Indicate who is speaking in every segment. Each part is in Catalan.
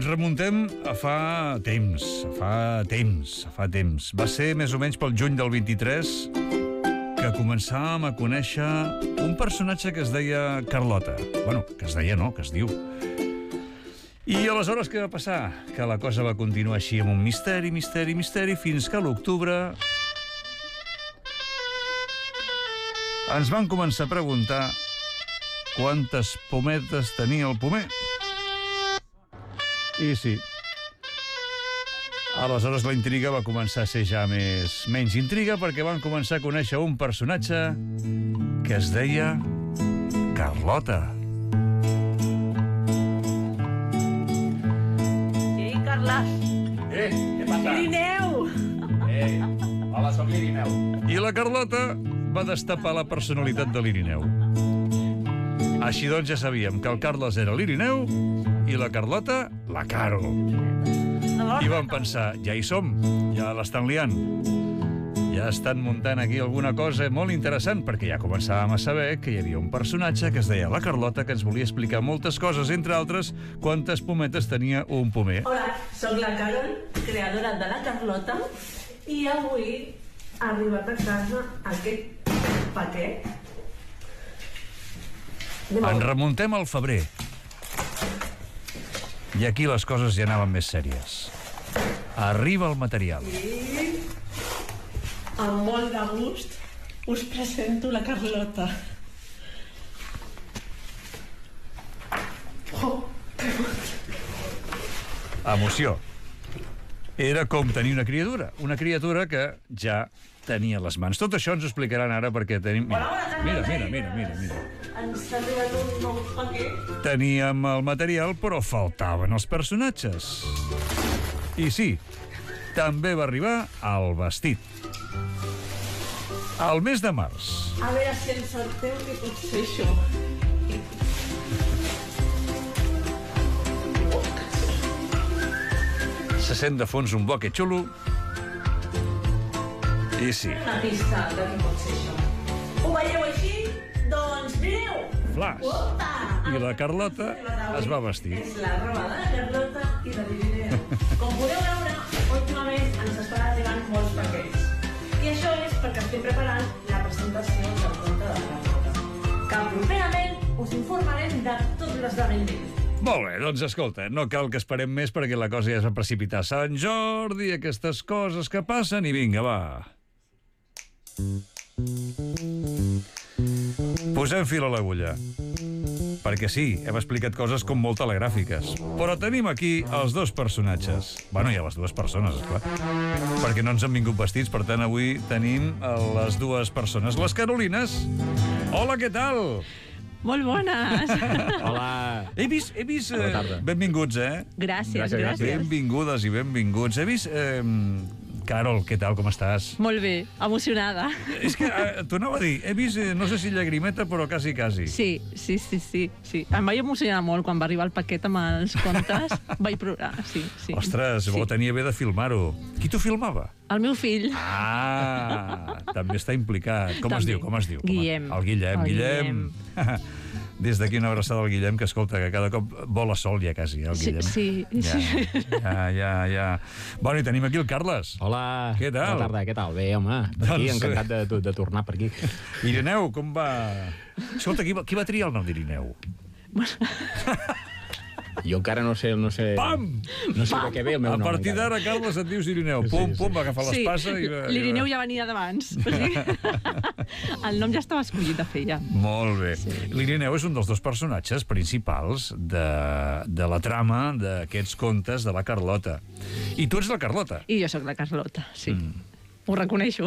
Speaker 1: Ens remuntem a fa temps. Va ser més o menys pel juny del 23 que començàvem a conèixer un personatge que es deia Carlota. Bueno, que es deia no, que es diu. I aleshores què va passar? Que la cosa va continuar així amb un misteri, fins que a l'octubre ens van començar a preguntar quantes pometes tenia el pomer. I sí. Aleshores la intriga va començar a ser ja menys intriga, perquè van començar a conèixer un personatge que es deia Carlota.
Speaker 2: Ei, Carles!
Speaker 3: Què passa?
Speaker 2: Irineu!
Speaker 3: Hola, soc l'Irineu.
Speaker 1: I la Carlota va destapar la personalitat de l'Irineu. Així doncs ja sabíem que el Carles era l'Irineu i la Carlota, la Caro. I vam pensar, ja hi som, ja l'estan liant. Ja estan muntant aquí alguna cosa molt interessant, perquè ja començàvem a saber que hi havia un personatge que es deia la Carlota, que ens volia explicar moltes coses, entre altres, quantes pometes tenia un pomer.
Speaker 2: Hola, sóc la Carol, creadora de la Carlota, i avui ha arribat a casa aquest paquet.
Speaker 1: Ens remuntem al febrer. I aquí les coses ja anaven més sèries. Arriba el material.
Speaker 2: I amb molt de gust us presento la Carlota.
Speaker 1: Emoció. Era com tenir una criatura que ja tenia les mans. Tot això ens ho explicaran ara perquè tenim... Mira.
Speaker 2: Ens ha arribat un nou paquet.
Speaker 1: Teníem el material, però faltaven els personatges. I sí, també va arribar el vestit. Al mes de març.
Speaker 2: A veure si encerteu què pot ser això.
Speaker 1: Se sent de fons un bloque xulo. I sí.
Speaker 2: Una pista de què pot ser això. Ho veieu així? Doncs mireu!
Speaker 1: Flash.
Speaker 2: Opa!
Speaker 1: I la Carlota es va vestir.
Speaker 2: És la roba de la Carlota i de l'Irineu. Com podeu veure, últimament ens estan arribant molts paquets. I això és perquè estem preparant la presentació del conte de la Carlota, que properament us informarem de tot l'esdeveniment.
Speaker 1: Molt bé, doncs escolta, no cal que esperem més perquè la cosa ja es va precipitar. Sant Jordi, aquestes coses que passen i vinga, va. Posem fil a l'agulla. Perquè sí, hem explicat coses com molt telegràfiques. Però tenim aquí els dos personatges. Bueno, i a les dues persones, esclar. Perquè no ens han vingut vestits, per tant, avui tenim les dues persones. Les Carolines. Hola, què tal?
Speaker 4: Molt bones!
Speaker 3: Hola.
Speaker 1: He vist...
Speaker 3: Bona tarda.
Speaker 1: Benvinguts,
Speaker 4: Gràcies.
Speaker 1: Benvingudes i benvinguts. He vist... Carol, què tal, com estàs?
Speaker 4: Molt bé, emocionada.
Speaker 1: És que t'ho anava a dir, he vist, no sé si llagrimeta, però quasi.
Speaker 4: Sí. Em vaig emocionar molt quan va arribar el paquet amb els contes. Vaig plorar, sí.
Speaker 1: Ostres,
Speaker 4: sí.
Speaker 1: tenia bé de filmar-ho. Qui t'ho filmava?
Speaker 4: El meu fill.
Speaker 1: També està implicat. Com es diu?
Speaker 4: Guillem.
Speaker 1: El Guillem. Des d'aquí una abraçada al Guillem, que escolta, que cada cop vola sol ja quasi, el Guillem.
Speaker 4: Sí.
Speaker 1: Ja. Bueno, i tenim aquí el Carles.
Speaker 3: Hola.
Speaker 1: Què tal?
Speaker 3: Bona tarda, què tal? Bé, home, per aquí, encantat de tornar per aquí.
Speaker 1: Irineu, com va? Escolta, qui va triar el nom d'Irineu?
Speaker 3: Jo encara no sé...
Speaker 1: Pam!
Speaker 3: No sé de què ve el meu nom.
Speaker 1: A partir d'ara, Carles, et dius Irineu. Pum, va agafar l'espasa i...
Speaker 4: L'Irineu ja venia d'abans. O sigui, el nom ja estava escollit de fer, ja.
Speaker 1: Molt bé. Sí. L'Irineu és un dels dos personatges principals de la trama d'aquests contes de la Carlota. I tu ets la Carlota.
Speaker 4: I jo sóc la Carlota, sí. Ho reconeixo.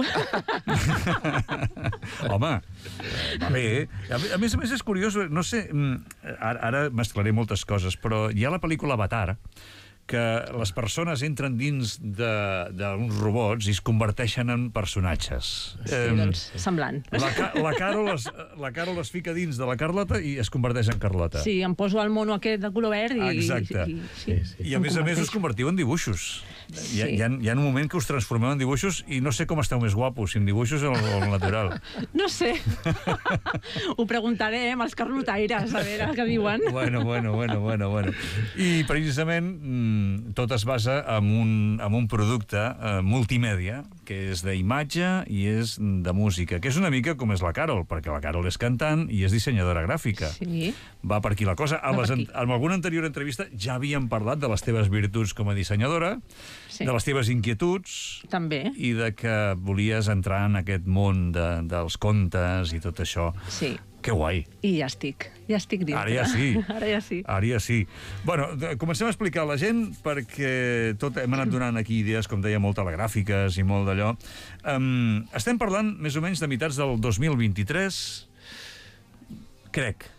Speaker 1: Home, va bé. A més és curiós, no sé, ara mesclaré moltes coses, però hi ha la pel·lícula Avatar, que les persones entren dins d'uns robots i es converteixen en personatges.
Speaker 4: Sí, doncs, semblant.
Speaker 1: La Carol es fica dins de la Carlota i es converteix en Carlota.
Speaker 4: Sí, em poso el mono aquest de color verd i...
Speaker 1: Exacte. I a més us convertiu en dibuixos.
Speaker 4: Sí.
Speaker 1: Hi ha un moment que us transformeu en dibuixos i no sé com esteu més guapos, si en dibuixos o en natural.
Speaker 4: No sé. Ho preguntarem als carlotaires, a veure què diuen.
Speaker 1: Bueno. I precisament tot es basa en un producte multimèdia, que és d'imatge i és de música, que és una mica com és la Carol, perquè la Carol és cantant i és dissenyadora gràfica.
Speaker 4: Sí.
Speaker 1: Va per aquí la cosa. En alguna anterior entrevista ja havíem parlat de les teves virtuts com a dissenyadora, de les teves inquietuds...
Speaker 4: També.
Speaker 1: I de que volies entrar en aquest món dels contes i tot això.
Speaker 4: Sí.
Speaker 1: Que guai.
Speaker 4: I ja estic dintre.
Speaker 1: Ara ja sí.
Speaker 4: Ara ja sí.
Speaker 1: Bueno, comencem a explicar a la gent, perquè hem anat donant aquí idees, com deia, molt telegràfiques i molt d'allò. Estem parlant més o menys de mitjans del 2023, crec.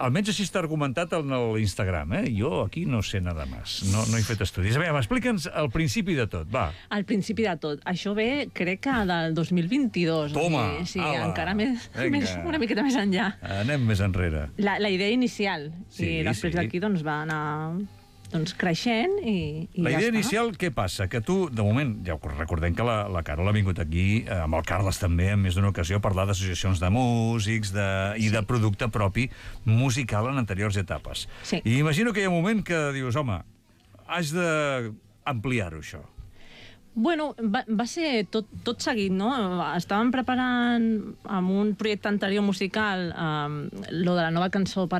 Speaker 1: Almenys així està argumentat en l'Instagram, eh? Jo aquí no sé nada més. No he fet estudis. A veure, explica'ns el principi de tot, va.
Speaker 4: El principi de tot. Això ve, crec que del 2022.
Speaker 1: Toma!
Speaker 4: Sí, encara una miqueta més enllà.
Speaker 1: Anem més enrere.
Speaker 4: La idea inicial. I després d'aquí doncs, va anar creixent i
Speaker 1: la idea inicial, què passa? Que tu, de moment, ja recordem que la Carol ha vingut aquí, amb el Carles també, en més d'una ocasió, a parlar d'associacions de músics i de producte propi musical en anteriors etapes.
Speaker 4: Sí.
Speaker 1: I imagino que hi ha un moment que dius, home, has d'ampliar-ho, això.
Speaker 4: Bueno, va ser tot seguit, no? Estàvem preparant amb un projecte anterior musical lo de la nova cançó per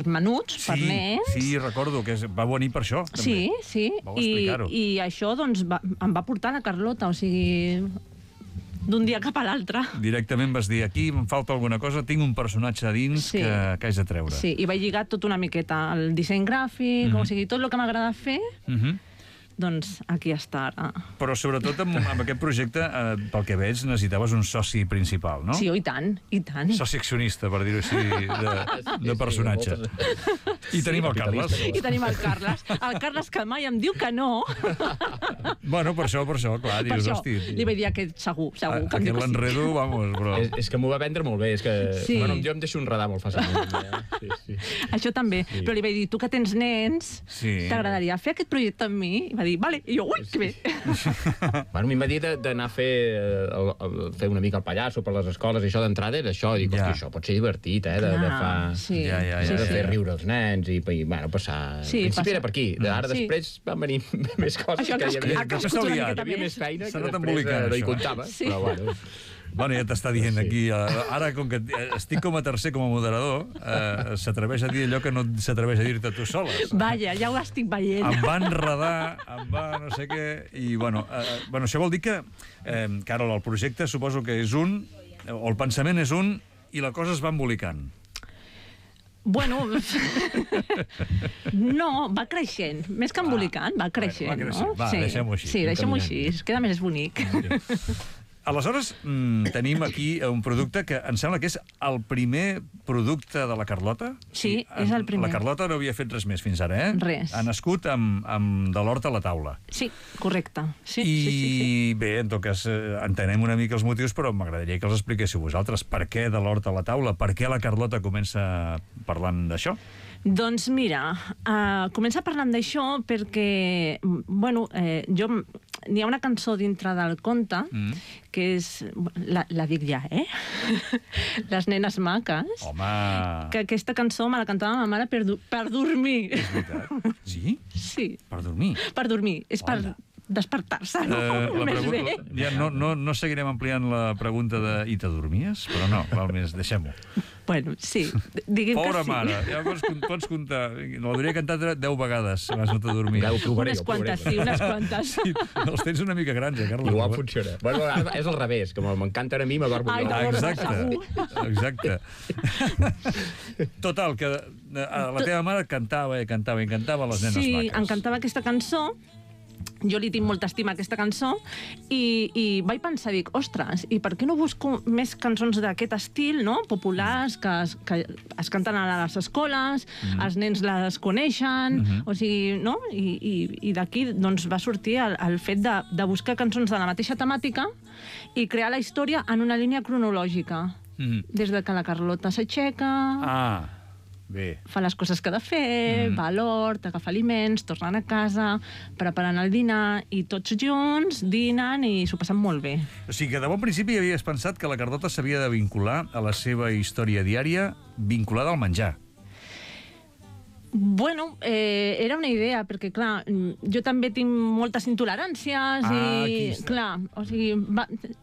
Speaker 4: menuts, per nens.
Speaker 1: Sí, recordo que va venir per això, també.
Speaker 4: Sí.
Speaker 1: Vau explicar-ho.
Speaker 4: I això doncs, em va portar la Carlota, o sigui, d'un dia cap a l'altre.
Speaker 1: Directament vas dir, aquí em falta alguna cosa, tinc un personatge a dins que haig de treure.
Speaker 4: Sí, i vaig lligar tot una miqueta, el disseny gràfic, o sigui, tot el que m'agrada fer, doncs aquí està ara.
Speaker 1: Però sobretot amb aquest projecte, pel que veig, necessitaves un soci principal, no?
Speaker 4: Sí, i tant.
Speaker 1: Soci accionista, per dir-ho així, de personatge. I tenim el Carles. El Carles que mai em diu que no. Bueno, per això, clar, dius, hosti...
Speaker 4: Li vaig dir aquest segur que em diu que sí.
Speaker 1: Aquest l'enredo, vamos, però...
Speaker 3: És que m'ho va vendre molt bé, és que... Bueno, jo em deixo enredar molt fàcilment.
Speaker 4: Això també, però li vaig dir, tu que tens nens, t'agradaria fer aquest projecte amb mi? I va dir, vale, i jo, ui, que bé.
Speaker 3: Bueno, a mi em va dir d'anar a fer una mica el pallasso per les escoles i això d'entrada era això. Dic, hosti, això pot ser divertit, de fer riure els nens i, bueno, passar... Al principi era per aquí. Ara després van venir més coses que hi havia més feina que després no hi comptava, però bueno...
Speaker 1: Bueno, ja t'està dient aquí, ara com que estic com a tercer, com a moderador, s'atreveix a dir allò que no s'atreveix a dir-te tu soles.
Speaker 4: Vaja, ja ho estic veient.
Speaker 1: Em va enredar, em va no sé què, i bueno, això vol dir que, Carol, el projecte suposo que és un, o el pensament és un, i la cosa es va embolicant.
Speaker 4: Bueno, no, va creixent. Més que embolicant, va creixent, no?
Speaker 1: Va, deixem-ho així.
Speaker 4: Sí, deixem-ho així, es queda més bonic.
Speaker 1: Aleshores, tenim aquí un producte que em sembla que és el primer producte de la Carlota.
Speaker 4: Sí, és el primer.
Speaker 1: La Carlota no havia fet res més fins ara, eh?
Speaker 4: Res.
Speaker 1: Ha nascut amb de l'hort a la taula.
Speaker 4: Sí, correcte.
Speaker 1: I bé, en tot cas, entenem una mica els motius, però m'agradaria que els expliquéssiu vosaltres. Per què de l'hort a la taula? Per què la Carlota comença parlant d'això?
Speaker 4: Doncs mira, comença parlant d'això perquè, bueno, n'hi ha una cançó dintre del conte que és, la dic ja, Les nenes maques.
Speaker 1: Home!
Speaker 4: Que aquesta cançó me la cantava ma mare per dormir.
Speaker 1: És veritat? Sí?
Speaker 4: Sí.
Speaker 1: Per dormir?
Speaker 4: Per dormir. És per despertar-se, més bé.
Speaker 1: Ja no seguirem ampliant la pregunta de i te dormies? Però no, val més, deixem-ho.
Speaker 4: Bueno, sí, diguem que sí.
Speaker 1: Pobra mare, ja pots comptar. L'hauria cantat 10 vegades abans no te dormies.
Speaker 4: Unes quantes, sí, unes quantes.
Speaker 1: Sí, els tens una mica grans, Carles.
Speaker 3: Igual funciona. Bueno, és al revés, com m'encanten a mi, m'adormo jo.
Speaker 1: Exacte. Total, que la teva mare cantava les nenes maques.
Speaker 4: Sí, em cantava aquesta cançó jo li tinc molta estima a aquesta cançó i vaig pensar, dic, ostres, i per què no busco més cançons d'aquest estil, no?, populars, que es canten a les escoles, els nens les coneixen, o sigui, no? I d'aquí doncs, va sortir el fet de buscar cançons de la mateixa temàtica i crear la història en una línia cronològica. Des de que la Carlota s'aixeca...
Speaker 1: Bé.
Speaker 4: Fa les coses que ha de fer, va a l'hort, agafa aliments, tornen a casa, preparen el dinar i tots junts dinen i s'ho passen molt bé.
Speaker 1: O sigui que de bon principi havies pensat que la Carlota s'havia de vincular a la seva història diària vinculada al menjar.
Speaker 4: Bueno, era una idea, perquè, clar, jo també tinc moltes intoleràncies i, clar, o sigui,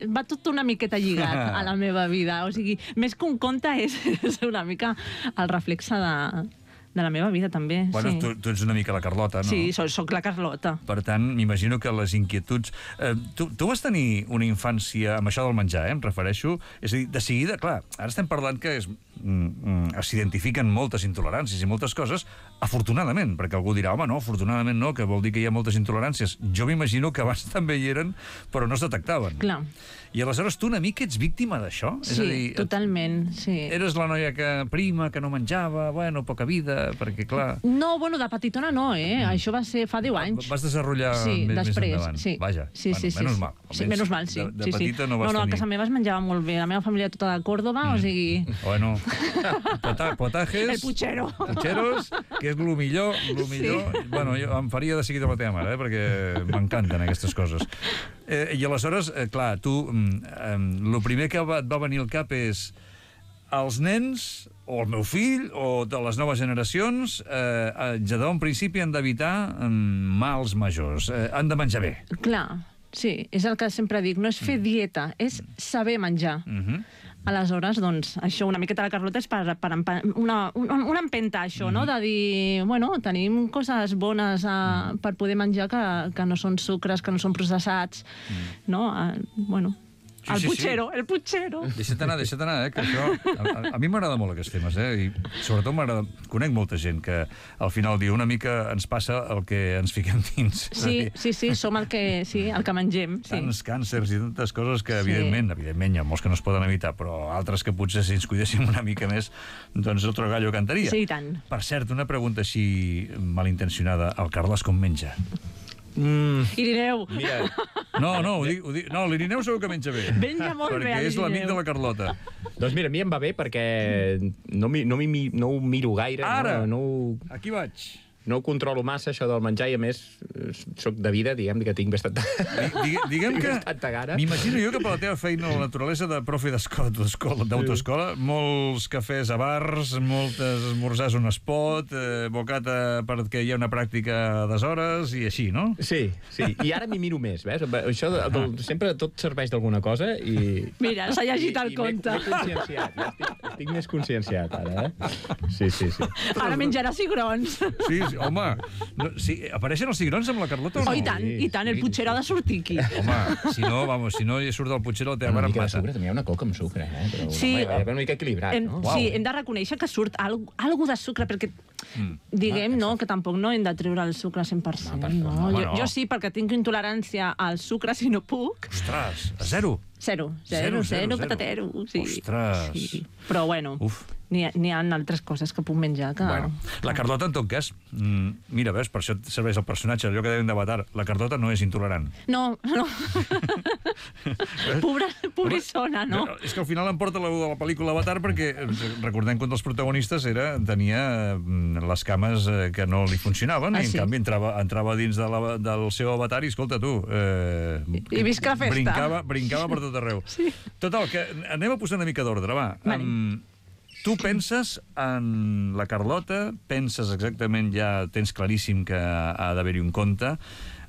Speaker 4: va tot una miqueta lligat a la meva vida. O sigui, més que un conte és una mica el reflexe de la meva vida, també.
Speaker 1: Bueno, tu ets una mica la Carlota, no?
Speaker 4: Sí, soc la Carlota.
Speaker 1: Per tant, m'imagino que les inquietuds... Tu vas tenir una infància amb això del menjar, em refereixo? És a dir, de seguida, clar, ara estem parlant que s'identifiquen moltes intoleràncies i moltes coses, afortunadament, perquè algú dirà, home, no, afortunadament no, que vol dir que hi ha moltes intoleràncies. Jo m'imagino que abans també hi eren, però no es detectaven.
Speaker 4: Clar.
Speaker 1: I aleshores tu una mica ets víctima d'això?
Speaker 4: Sí, totalment, sí.
Speaker 1: Eres la noia prima, que no menjava, bueno, poca vida, perquè clar...
Speaker 4: No, bueno, de petitona no, Això va ser fa 10 anys.
Speaker 1: Vas desenrotllar més endavant.
Speaker 4: Sí,
Speaker 1: vaja,
Speaker 4: menys
Speaker 1: mal.
Speaker 4: Sí, menys mal, sí.
Speaker 1: De petita no vas tenir...
Speaker 4: No, a casa meva es menjava molt bé. La meva família tota de Còrdoba, o sigui...
Speaker 1: Bueno, potajes...
Speaker 4: El puchero.
Speaker 1: Pucheros, que és el millor. Bueno, jo em faria de seguida la teva mare, perquè m'encanten aquestes coses. I aleshores, clar, tu, el primer que et va venir al cap és els nens, o el meu fill, o de les noves generacions, ja de bon principi han d'evitar mals majors. Han de menjar bé. Clar,
Speaker 4: sí, és el que sempre dic. No és fer dieta, és saber menjar. Aleshores, doncs, això una miqueta la Carlota és per una empenta, això, no?, de dir, bueno, tenim coses bones per poder menjar que no són sucres, que no són processats, no? Bueno... El puchero.
Speaker 1: Deixa't anar, que això... A mi m'agrada molt aquests temes, i sobretot m'agrada... Conec molta gent que al final diu una mica ens passa el que ens fiquem dins.
Speaker 4: Sí, som el que mengem.
Speaker 1: Tants càncers i tantes coses que, evidentment, hi ha molts que no es poden evitar, però altres que potser si ens cuidéssim una mica més, doncs otro gallo cantaria.
Speaker 4: Sí, i tant.
Speaker 1: Per cert, una pregunta així malintencionada. El Carles com menja?
Speaker 4: Irineu.
Speaker 1: Mira. No, l'Irineu segur que menja bé.
Speaker 4: Menja molt bé,
Speaker 1: perquè és l'amic de la Carlota.
Speaker 3: Doncs mira, a mi em va bé perquè no ho miro gaire.
Speaker 1: Ara! Aquí vaig.
Speaker 3: No ho controlo massa, això del menjar, i a més, soc de vida, diguem que tinc bastant...
Speaker 1: Diguem que... M'imagino jo que per la teva feina a la naturalesa de profe d'autoescola, molts cafès a bars, moltes esmorzars on es pot, bocata perquè hi ha una pràctica d'hores i així, no?
Speaker 3: Sí. I ara m'hi miro més, ves? Això sempre tot serveix d'alguna cosa i...
Speaker 4: Mira, s'ha llegit el conte.
Speaker 3: M'he conscienciat, estic més conscienciat ara, Sí.
Speaker 4: Ara menjarà cigrons.
Speaker 1: Sí, home, apareixen els cigrons amb la Carlota o no?
Speaker 4: Oh, i tant, el puchero ha de sortir aquí.
Speaker 1: Home, si no hi surt el puchero, el teva mare em mata.
Speaker 3: També hi ha una coca amb sucre, però
Speaker 4: sí,
Speaker 3: una mica equilibrat, no?
Speaker 4: Sí, hem de reconèixer que surt algo de sucre, perquè diguem, no, que tampoc no hem de treure el sucre 100%. No. Jo sí, perquè tinc intolerància al sucre, si no puc.
Speaker 1: Ostres, a zero?
Speaker 4: Zero, patatero. Sí.
Speaker 1: Ostres.
Speaker 4: Però bueno... N'hi ha altres coses que puc menjar que...
Speaker 1: Bueno, la Carlota, en tot cas, mira, ves, per això serveix el personatge, allò que deien d'Avatar, la Carlota no és intolerant.
Speaker 4: No. Pobrissona, no?
Speaker 1: És que al final em porta de la pel·lícula Avatar perquè recordem que un dels protagonistes tenia les cames que no li funcionaven i en canvi entrava dins del seu avatar i, escolta, tu...
Speaker 4: I visca la festa.
Speaker 1: Brincava per tot arreu. Total, que anem a posar una mica d'ordre, va. Tu penses en la Carlota, penses exactament, ja tens claríssim que ha d'haver-hi un conte,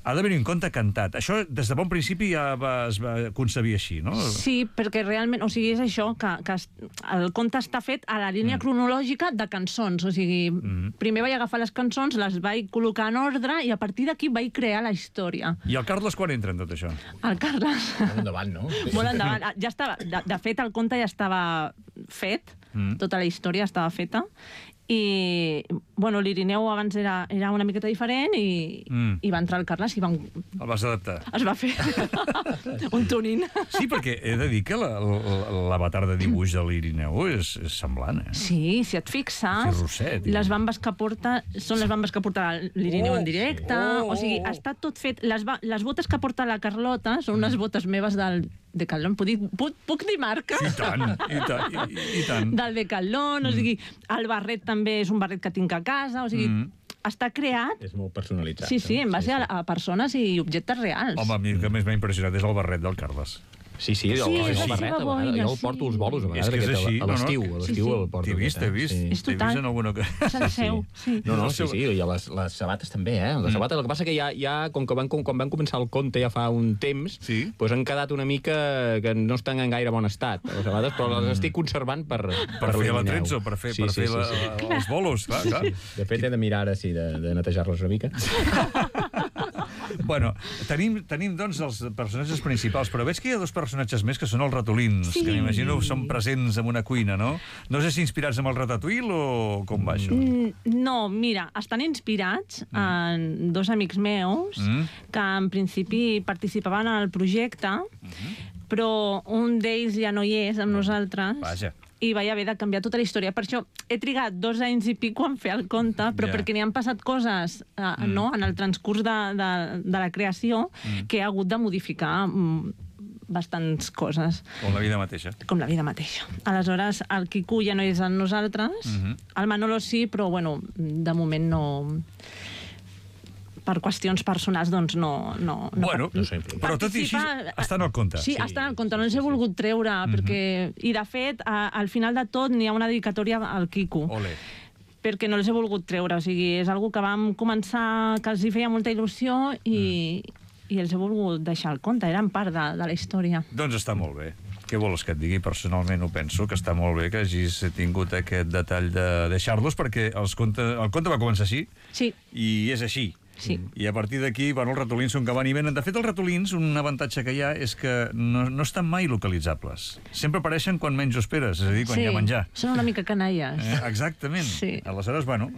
Speaker 1: ha d'haver-hi un conte cantat. Això, des de bon principi, ja es va concebir així, no?
Speaker 4: Sí, perquè realment, o sigui, és això, que el conte està fet a la línia cronològica de cançons. O sigui, primer vaig agafar les cançons, les vaig col·locar en ordre i a partir d'aquí vaig crear la història.
Speaker 1: I el Carles quan entra en tot això?
Speaker 4: El Carles...
Speaker 3: Molt endavant, no?
Speaker 4: Molt endavant. Ja estava, de fet, el conte ja estava fet, tota la història estava feta, I, bueno, l'Irineu abans era una miqueta diferent i va entrar el Carles i
Speaker 1: el vas adaptar.
Speaker 4: es va fer un tuning.
Speaker 1: Sí, perquè he de dir que l'avatar de dibuix de l'Irineu és semblant, eh?
Speaker 4: Sí, si et fixes, les bambes que porta són les bambes que porta l'Irineu en directe, o sigui, està tot fet... Les botes que porta la Carlota són unes botes meves del Decathlon. Puc dir marca?
Speaker 1: I tant, i tant.
Speaker 4: Del Decathlon, o sigui, el barret també és un barret que tinc a casa, o sigui, està creat...
Speaker 3: És molt personalitzat.
Speaker 4: Sí, en base a persones i objectes reals.
Speaker 1: Home, a mi el que més m'ha impressionat és el barret del Carles.
Speaker 3: Sí, el barret, a vegades. Jo el porto als bolos, a vegades.
Speaker 1: És que és així.
Speaker 3: A l'estiu el porto.
Speaker 1: T'he vist.
Speaker 4: És total. És el seu, sí.
Speaker 3: No, sí, i les sabates també, eh? Les sabates, el que passa que ja com que quan van començar el conte ja fa un temps, doncs han quedat una mica que no estan en gaire bon estat, les sabates, però les estic conservant per
Speaker 1: fer la trença, per fer els bolos, clar.
Speaker 3: De fet, he de mirar ara, sí, de netejar-los una mica.
Speaker 1: Bueno, tenim, doncs, els personatges principals, però veig que hi ha dos personatges més que són els ratolins, que m'imagino són presents en una cuina, no? No sé si inspirats amb el Ratatouille o com va això?
Speaker 4: No, mira, estan inspirats en dos amics meus que en principi participaven en el projecte, però un d'ells ja no hi és amb nosaltres.
Speaker 1: Vaja.
Speaker 4: I vaig haver de canviar tota la història. Per això he trigat 2 anys i pico en fer el conte, però perquè n'hi han passat coses en el transcurs de la creació que he hagut de modificar bastants coses.
Speaker 1: Com la vida mateixa.
Speaker 4: Com la vida mateixa. Aleshores, el Quico ja no és amb nosaltres, el Manolo sí, però, bueno, de moment no... Per qüestions personals, doncs no...
Speaker 1: Bueno, però tot i així està en el conte.
Speaker 4: Sí, està en el conte, no els he volgut treure, perquè... I, de fet, al final de tot n'hi ha una dedicatòria al Quico.
Speaker 1: Ole.
Speaker 4: Perquè no els he volgut treure, o sigui, és algo que vam començar, que els hi feia molta il·lusió i els he volgut deixar el conte, eren part de la història.
Speaker 1: Doncs està molt bé. Què vols que et digui? Personalment ho penso, que està molt bé que hagis tingut aquest detall de deixar-los, perquè el conte va començar així, i és així.
Speaker 4: Sí.
Speaker 1: I a partir d'aquí, bueno, els ratolins són que van i venen. De fet, els ratolins, un avantatge que hi ha és que no estan mai localitzables. Sempre apareixen quan menys ho esperes, és a dir, quan hi ha menjar.
Speaker 4: Són una mica canalles.
Speaker 1: Exactament. Aleshores, bueno,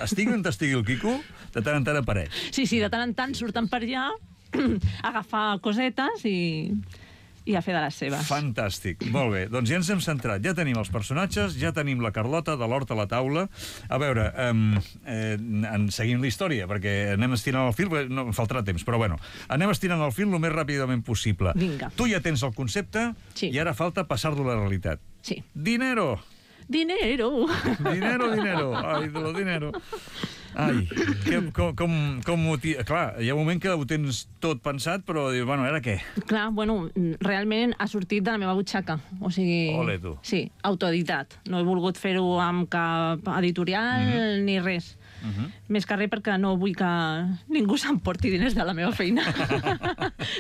Speaker 1: estigui on estigui el Quico, de tant en tant apareix.
Speaker 4: Sí, de tant en tant surten per allà, a agafar cosetes i a fer de les seves.
Speaker 1: Fantàstic. Molt bé. Doncs ja ens hem centrat. Ja tenim els personatges, ja tenim la Carlota de l'hort a la taula. A veure, seguim la història, perquè anem estirant el fil, no em faltarà temps, però bueno, anem estirant el fil el més ràpidament possible.
Speaker 4: Vinga.
Speaker 1: Tu ja tens el concepte i ara falta passar-lo a la realitat.
Speaker 4: Sí.
Speaker 1: Dinero!
Speaker 4: Dinero!
Speaker 1: Dinero! Ai, de lo dinero! Ai, com ho... Clar, hi ha un moment que ho tens tot pensat, però dius, bueno, ara què?
Speaker 4: Clar, bueno, realment ha sortit de la meva butxaca. O sigui...
Speaker 1: Ole, tu.
Speaker 4: Sí, autoeditat. No he volgut fer-ho amb cap editorial ni res. Més que res perquè no vull que ningú s'emporti diners de la meva feina.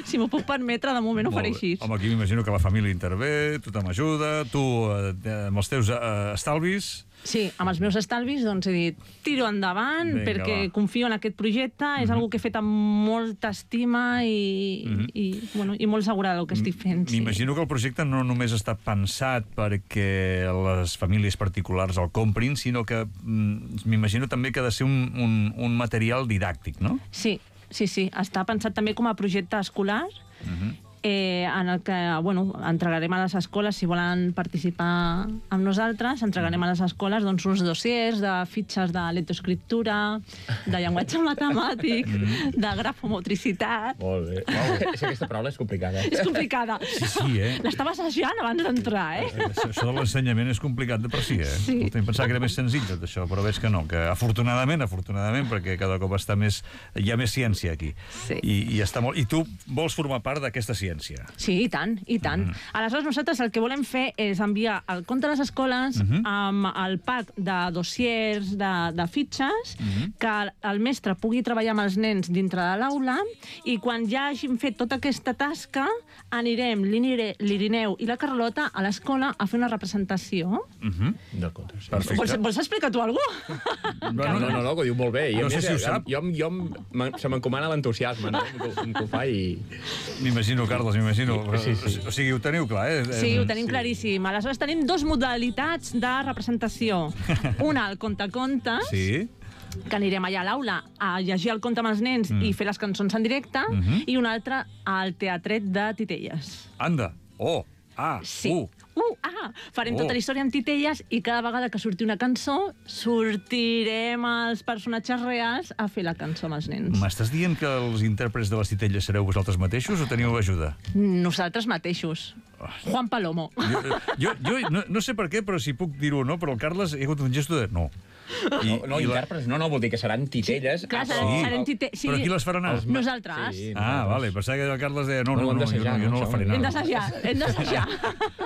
Speaker 4: Si m'ho puc permetre, de moment ho faré així.
Speaker 1: Home, aquí m'imagino que la família intervé, tothom ajuda, tu amb els teus estalvis...
Speaker 4: Sí, amb els meus estalvis doncs he dit tiro endavant perquè confio en aquest projecte, és una que he fet amb molta estima i molt segura del que estic fent.
Speaker 1: M'imagino que el projecte no només està pensat perquè les famílies particulars el comprin, sinó que m'imagino també que ha de ser un material didàctic, no?
Speaker 4: Sí, està pensat també com a projecte escolar, en el que, entregarem a les escoles, si volen participar amb nosaltres, entregarem a les escoles doncs, uns dossiers de fitxes de lectoescriptura, de llenguatge matemàtic, de grafomotricitat...
Speaker 3: Molt bé. Aquesta paraula és complicada.
Speaker 4: És complicada.
Speaker 1: Sí,
Speaker 4: l'estava assajant abans d'entrar,
Speaker 1: Això de l'ensenyament és complicat de per si, Em pensava que era més senzill tot això, però veig que no, que afortunadament, perquè cada cop hi ha més ciència aquí. I està molt... I tu vols formar part d'aquesta ciència?
Speaker 4: Sí, i tant. Aleshores, nosaltres el que volem fer és enviar el conte a les escoles amb el pack de dossiers, de fitxes, que el mestre pugui treballar amb els nens dintre de l'aula i quan ja hagin fet tota aquesta tasca anirem l'Irineu i la Carlota a l'escola a fer una representació.
Speaker 3: D'acord.
Speaker 1: Perfecte.
Speaker 4: Vols explicar tu alguna cosa?
Speaker 3: No, que ho diu molt bé.
Speaker 1: No sé si ho sap.
Speaker 3: Se m'encomana l'entusiasme, no? Que ho fa i...
Speaker 1: M'imagino, Carles, Carles, m'imagino.
Speaker 3: Sí.
Speaker 1: O sigui, ho teniu clar, eh?
Speaker 4: Sí, ho tenim claríssim. Aleshores tenim dos modalitats de representació. Una, el conte-contes, que anirem allà a l'aula a llegir el conte amb els nens i fer les cançons en directe, i una altra, al teatret de Titelles.
Speaker 1: Anda!
Speaker 4: Sí. Farem tota la història amb titelles i cada vegada que surti una cançó sortirem els personatges reals a fer la cançó amb els nens.
Speaker 1: M'estàs dient que els intèrprets de les titelles sereu vosaltres mateixos o teniu ajuda?
Speaker 4: Nosaltres mateixos. Juan Palomo.
Speaker 1: Jo no sé per què, però si puc dir-ho o no, però el Carles hi ha hagut un gesto de no.
Speaker 3: Intèrprets, no, vol dir que seran titelles.
Speaker 4: Clar, serem titelles.
Speaker 1: Però qui les farà anar?
Speaker 4: Nosaltres.
Speaker 1: Vale, pensava que el Carles deia no, jo no la faré anar.
Speaker 4: Hem d'assajar.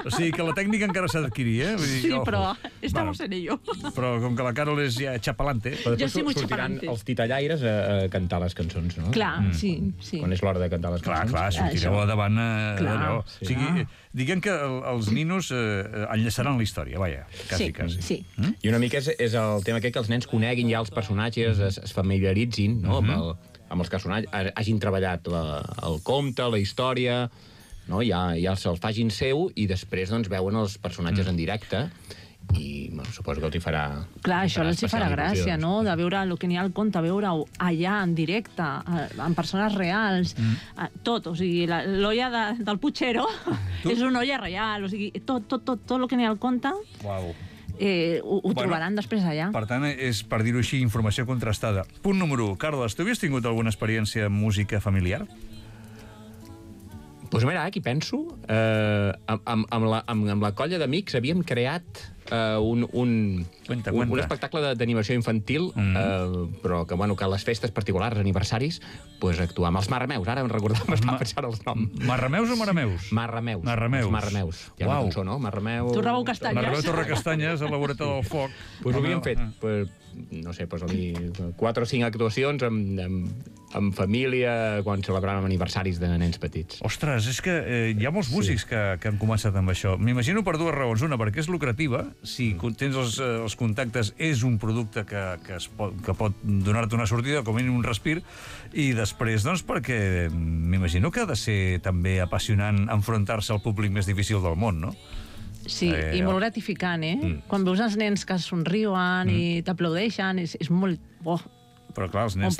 Speaker 1: O sigui que la tècnica encara s'ha d'adquirir, eh?
Speaker 4: Sí, però estamos en ello.
Speaker 1: Però com que la Carol és ja xapalante...
Speaker 4: Jo sí, molt
Speaker 3: sortiran els titellaires a cantar les cançons, no?
Speaker 4: Clar, sí.
Speaker 3: Quan és l'hora de cantar les cançons.
Speaker 1: Clar, sortireu davant d'allò. O sigui, diguem que els ninos enllaçaran la història, vaja, quasi.
Speaker 4: Sí.
Speaker 3: I una mica és el tema aquest que els nens coneguin ja els personatges, es familiaritzin amb els personatges, hagin treballat el conte, la història, ja se'ls facin seu i després veuen els personatges en directe i suposo que els hi farà...
Speaker 4: Clar, això els hi farà gràcia, no?, de veure el que n'hi ha al conte, veure-ho allà, en directe, amb persones reals, tot, o sigui, l'olla del Puigero és una olla real, o sigui, tot el que n'hi ha al conte ho trobaran després allà.
Speaker 1: Per tant, és, per dir-ho així, informació contrastada. Punt número 1. Carles, tu havies tingut alguna experiència amb música familiar?
Speaker 3: Doncs mira, aquí penso, amb la colla d'amics havíem creat un espectacle d'animació infantil, però que a les festes particulars, aniversaris, actuàvem els Marrameus. Ara em recordava, estava pensant els noms.
Speaker 1: Marrameus o Marameus?
Speaker 3: Marrameus.
Speaker 1: Marrameus.
Speaker 3: Hi ha una cançó, no? Marrameu...
Speaker 4: Torrabou Castanyes.
Speaker 1: Marrameu Torrecastanyes, a la voreta del foc.
Speaker 3: Doncs ho havíem fet, no sé, 4 o 5 actuacions amb família quan celebràvem aniversaris de nens petits.
Speaker 1: Ostres, és que hi ha molts músics que han començat amb això. M'imagino per dues raons. Una, perquè és lucrativa. Si tens els contactes, és un producte que pot donar-te una sortida, com a mínim un respir. I després, doncs, perquè m'imagino que ha de ser també apassionant enfrontar-se al públic més difícil del món, no?
Speaker 4: Sí, i molt gratificant, Quan veus els nens que somriuen i t'aplaudeixen, és molt...
Speaker 1: Però clar, els nens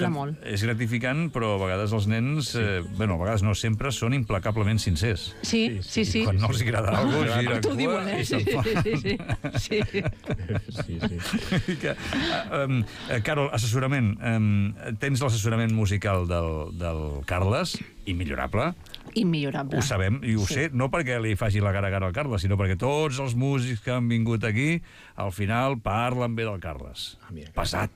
Speaker 1: és gratificant, però a vegades els nens, a vegades no sempre, són implacablement sincers.
Speaker 4: Sí.
Speaker 1: Quan no els agrada alguna cosa, gira
Speaker 4: t'ho diuen,
Speaker 1: i se'n fan. Carol, assessorament. Tens l'assessorament musical del Carles, immillorable.
Speaker 4: Immillorable.
Speaker 1: Ho sabem, i ho sé, no perquè li faci la gara-gara al Carles, sinó perquè tots els músics que han vingut aquí, al final parlen bé del Carles. Pesat.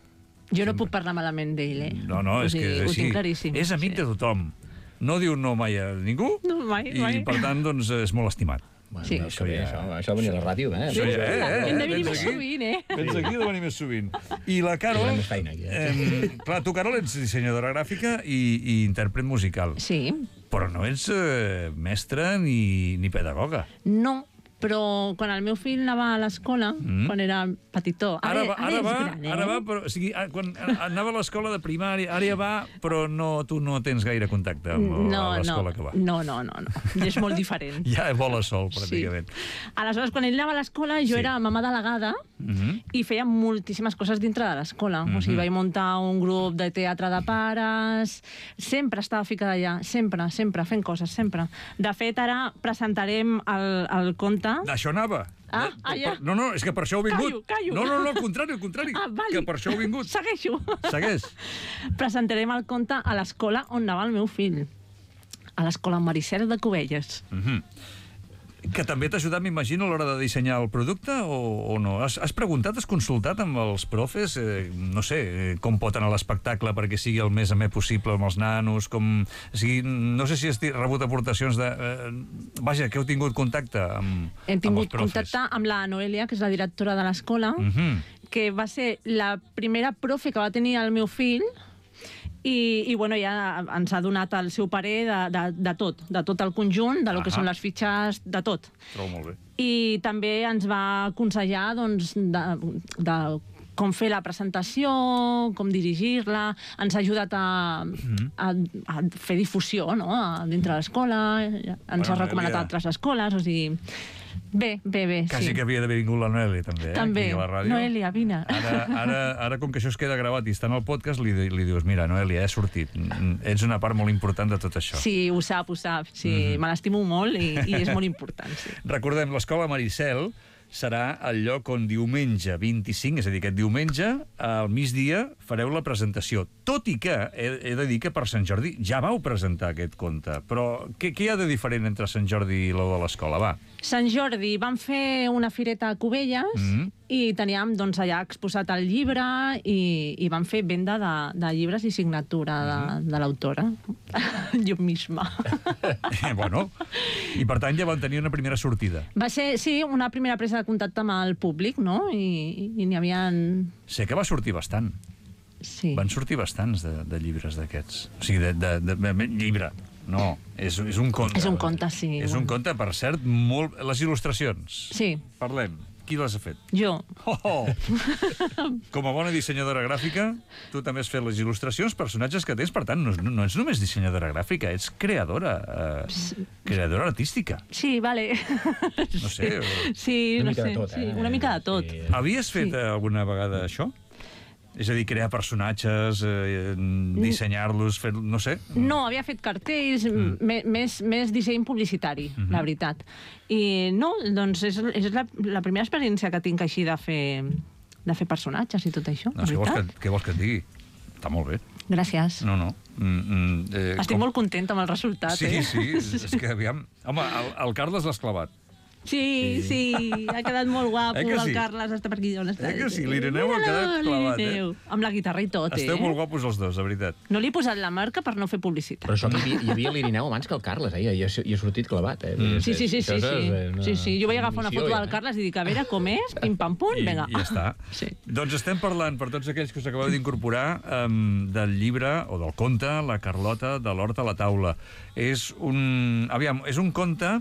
Speaker 4: Jo no puc parlar malament d'ell,
Speaker 1: No, és que és així.
Speaker 4: Ho tinc claríssim.
Speaker 1: És amic de tothom. No diu no mai a ningú.
Speaker 4: No, mai.
Speaker 1: I, per tant, doncs, és molt estimat.
Speaker 4: Sí.
Speaker 3: Això de venir a la ràdio,
Speaker 4: Hem de venir més sovint,
Speaker 1: Vens aquí de venir més sovint. I la Carol... Clar, tu, Carol, ets dissenyadora gràfica i intèrpret musical.
Speaker 4: Sí.
Speaker 1: Però no ets mestra ni pedagoga.
Speaker 4: No, però quan el meu fill anava a l'escola, quan era petitó, ara és gran,
Speaker 1: Ara va, però, o sigui, quan anava a l'escola de primària, ara ja va, però tu no tens gaire contacte amb l'escola que va.
Speaker 4: No, és molt diferent.
Speaker 1: Ja vola sol, pràcticament.
Speaker 4: Aleshores, quan ell anava a l'escola, jo era mamà delegada i feia moltíssimes coses dintre de l'escola. O sigui, vaig muntar un grup de teatre de pares, sempre estava ficada allà, sempre, fent coses, sempre. De fet, ara presentarem el conte.
Speaker 1: Això anava.
Speaker 4: Ja.
Speaker 1: No, és que per això heu vingut.
Speaker 4: Callo.
Speaker 1: No, al contrari.
Speaker 4: Vale.
Speaker 1: Que per això heu vingut.
Speaker 4: Segueixo.
Speaker 1: Segueix.
Speaker 4: Presentarem el conte a l'escola on anava el meu fill. A l'escola Maricel de Cubelles.
Speaker 1: Que també t'ha ajudat, m'imagino, a l'hora de dissenyar el producte, o no? Has preguntat, has consultat amb els profes, no sé, com pot anar l'espectacle perquè sigui el més amè possible amb els nanos, o sigui, no sé si has rebut aportacions de... Vaja, que heu tingut contacte amb els profes.
Speaker 4: Hem tingut contacte amb la Noelia, que és la directora de l'escola, que va ser la primera profe que va tenir el meu fill, i bueno, ja ens ha donat el seu parer de tot el conjunt, de lo que són les fitxes, de tot.
Speaker 1: Trobo molt bé.
Speaker 4: I també ens va aconsellar, doncs, de com fer la presentació, com dirigir-la, ens ha ajudat a fer difusió, no?, dintre l'escola, ens ha recomanat a altres escoles, o sigui... Bé, sí.
Speaker 1: Quasi que havia d'haver vingut la Noelia, també,
Speaker 4: També.
Speaker 1: aquí a la ràdio.
Speaker 4: Noelia, vine.
Speaker 1: Ara, com que això es queda gravat i està en el podcast, li dius, mira, Noelia, he sortit. Ets una part molt important de tot això.
Speaker 4: Sí, ho sap. Sí, me l'estimo molt i és molt important, sí.
Speaker 1: Recordem, l'Escola Maricel serà el lloc on diumenge 25, és a dir, aquest diumenge, al migdia, fareu la presentació. Tot i que, he de dir que per Sant Jordi ja vau presentar aquest conte, però què hi ha de diferent entre Sant Jordi i lo de l'escola? Va.
Speaker 4: Sant Jordi vam fer una fireta a Cubelles i teníem doncs, allà exposat el llibre i vam fer venda de llibres i signatura de l'autora. Jo misma.
Speaker 1: Bueno, i per tant ja van tenir una primera sortida.
Speaker 4: Va ser, sí, una primera presa de contacte amb el públic, no? I n'hi havia...
Speaker 1: Sé que va sortir bastant.
Speaker 4: Sí.
Speaker 1: Van sortir bastants de llibres d'aquests. O sigui, de llibre. No, és un conte.
Speaker 4: És un conte, sí.
Speaker 1: És un conte, per cert, molt... Les il·lustracions.
Speaker 4: Sí.
Speaker 1: Parlem. Qui les ha fet?
Speaker 4: Jo.
Speaker 1: Oh! Com a bona dissenyadora gràfica, tu també has fet les il·lustracions, personatges que tens, per tant, no ets només dissenyadora gràfica, ets creadora artística.
Speaker 4: Sí, vale.
Speaker 1: No sé.
Speaker 4: Sí,
Speaker 3: una
Speaker 4: no
Speaker 3: mica
Speaker 4: sé.
Speaker 3: de tot,
Speaker 4: Sí, una mica de tot.
Speaker 3: Sí.
Speaker 1: Havies fet alguna vegada això? És a dir, crear personatges, dissenyar-los, fer... no sé.
Speaker 4: No, havia fet cartells, més disseny publicitari, la veritat. I no, doncs és la primera experiència que tinc així de fer personatges i tot això,
Speaker 1: No, què vols que et digui? Està molt bé.
Speaker 4: Gràcies.
Speaker 1: No.
Speaker 4: Estic molt contenta amb el resultat,
Speaker 1: Sí, és que aviam... Home, el Carles l'has clavat.
Speaker 4: Sí, ha quedat molt guapo,
Speaker 1: que sí?
Speaker 4: el Carles està per aquí on està.
Speaker 1: Que sí, l'Ireneu ha quedat clavat,
Speaker 4: Amb la guitarra i tot,
Speaker 1: Esteu molt guapos els dos, de veritat.
Speaker 4: No li he posat la marca per no fer publicitat.
Speaker 3: Però això hi havia l'Irineu abans que el Carles, i ha sortit clavat.
Speaker 4: Sí. Jo vaig agafar una foto del Carles i dic, a veure com és, pim-pam-pum, vinga.
Speaker 1: I ja està.
Speaker 4: Sí.
Speaker 1: Doncs estem parlant, per tots aquells que us acabeu d'incorporar, del llibre, o del conte, La Carlota de l'Hort a la taula. És un conte